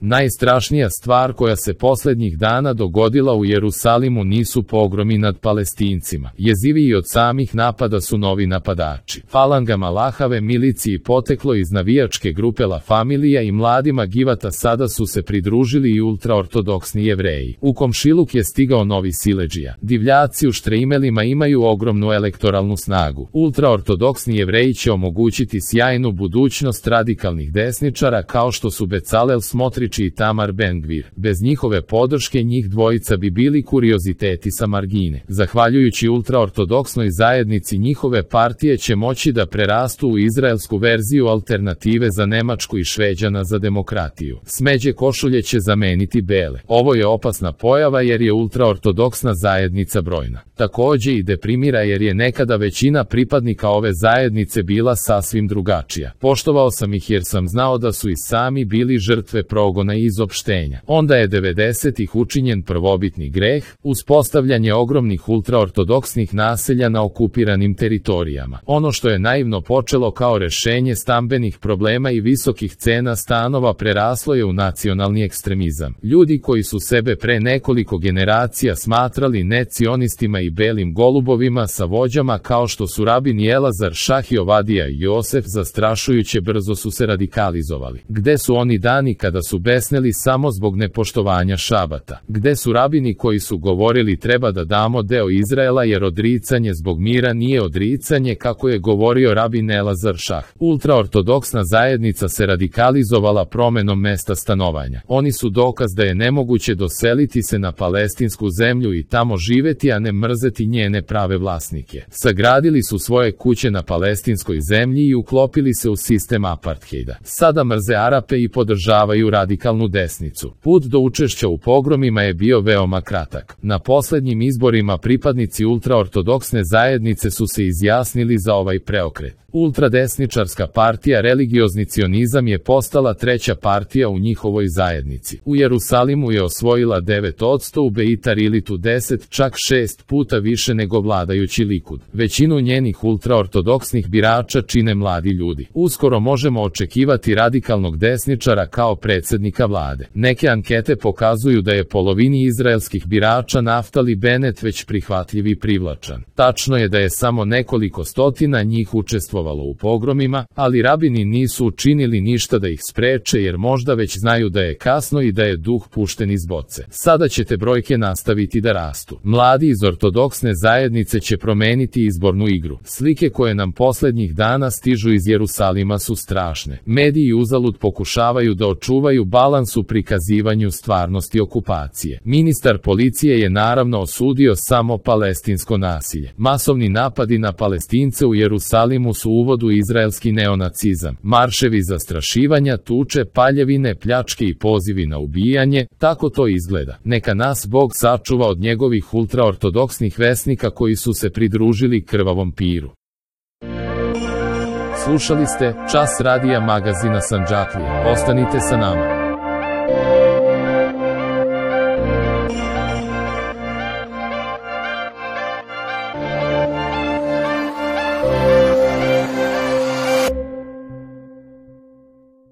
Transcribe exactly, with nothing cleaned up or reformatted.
Najstrašnija stvar koja se posljednjih dana dogodila u Jerusalimu nisu pogromi nad Palestincima. Jeziviji od samih napada su novi napadači. Falangama Lahave miliciji poteklo iz navijačke grupe La Familija i mladima Givata sada su se pridružili i ultraortodoksni Jevreji. U komšiluk je stigao novi siledžija. Divljaci u štrejmelima imaju ogromnu elektoralnu snagu. Ultraortodoksni Jevreji će omogućiti sjajnu budućnost radikalnih desničara kao što su Becalel Smotrić i Tamar Ben-Gvir. Bez njihove podrške njih dvojica bi bili kurioziteti sa margine. Zahvaljujući ultraortodoksnoj zajednici njihove partije će moći da prerastu u izraelsku verziju alternative za Nemačku i Šveđana za demokratiju. Smeđe košulje će zameniti bele. Ovo je opasna pojava jer je ultraortodoksna zajednica brojna. Takođe i deprimira jer je nekada većina pripadnika ove zajednice bila sasvim drugačija. Poštovao sam ih jer sam znao da su i sami bili žrtve progona i izopštenja. Onda je devedesetih učinjen prvobitni greh, uspostavljanje ogromnih ultraortodoksnih naselja na okupiranim teritorijama. Ono što je naivno počelo kao rešenje stambenih problema i visokih cena stanova preraslo je u nacionalni ekstremizam. Ljudi koji su sebe pre nekoliko generacija smatrali necionistima i belim golubovima sa vođama kao što su rabin Jelazar, Šah i Ovadija i Josef zastrašujuće brzo su se radikalizovali. Gde su oni dani kada su besneli samo zbog nepoštovanja šabata? Gde su rabini koji su govorili treba da damo deo Izraela jer odricanje zbog mira nije odricanje kako je govorio rabin Elazar Šah? Ultraortodoksna zajednica se radikalizovala promenom mesta stanovanja. Oni su dokaz da je nemoguće doseliti se na palestinsku zemlju i tamo živeti a ne mrzeti njene prave vlasnike. Sagradili su svoje kuće na palestinskoj zemlji i uklopili se u sistem apartheida. Sada mrze Arape i podržavaju radikalnu desnicu. Put do učešća u pogromima je bio veoma kratak. Na poslednjim izborima pripadnici ultraortodoksne zajednice su se izjasnili za ovaj preokret. Ultradesničarska partija Religiozni cionizam je postala treća partija u njihovoj zajednici. U Jerusalimu je osvojila devet posto, u Beitar Ilitu deset, čak šest puta više nego vladajući Likud. Većinu njenih ultraortodoksnih birača čine mladi ljudi. Uskoro možemo očekivati radikalnog desničara kao predsjednika vlade. Neke ankete pokazuju da je polovini izraelskih birača Naftali Bennett već prihvatljiv i privlačan. Tačno je da je samo nekoliko stotina njih učestvovalo u pogromima, ali rabini nisu učinili ništa da ih spreče jer možda već znaju da je kasno i da je duh pušten iz boce. Sada će te brojke nastaviti da rastu. Mladi iz ortodoksne zajednice će promeniti izbornu igru. Slike koje nam poslednjih dana stižu iz Jerusalima su strašne. Mediji uzalud pokušavaju da očuvaju balans u prikazivanju stvarnosti okupacije. Ministar policije je naravno osudio samo palestinsko nasilje. Masovni napadi na Palestince u Jerusalimu su uvod u izraelski neonacizam. Marševi zastrašivanja, tuče, paljevine, pljačke i pozivi na ubijanje, tako to izgleda. Neka nas Bog sačuva od njegovih ultraortodoksnih vesnika koji su se pridružili krvavom piru. Slušali ste Čas radija magazina Sandžaklije. Ostanite sa nama.